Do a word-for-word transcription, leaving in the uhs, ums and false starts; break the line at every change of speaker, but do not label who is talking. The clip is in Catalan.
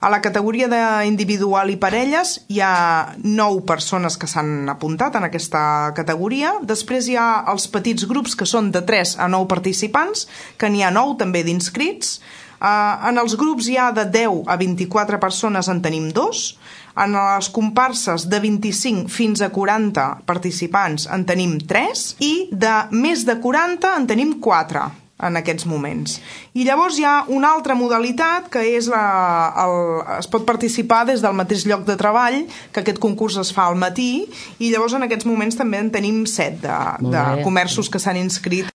A la categoria d'individual i parelles hi ha nou persones que s'han apuntat en aquesta categoria. Després hi ha els petits grups, que són de tres a nou participants, que n'hi ha nou també d'inscrits. Uh, en els grups hi ha de deu a vint-i-quatre persones, en tenim dos. En les comparses de vint-i-cinc fins a quaranta participants en tenim tres i de més de quaranta en tenim quatre en aquests moments. I llavors hi ha una altra modalitat que és la, el, es pot participar des del mateix lloc de treball, que aquest concurs es fa al matí, i llavors en aquests moments també en tenim set de, de comerços que s'han inscrit.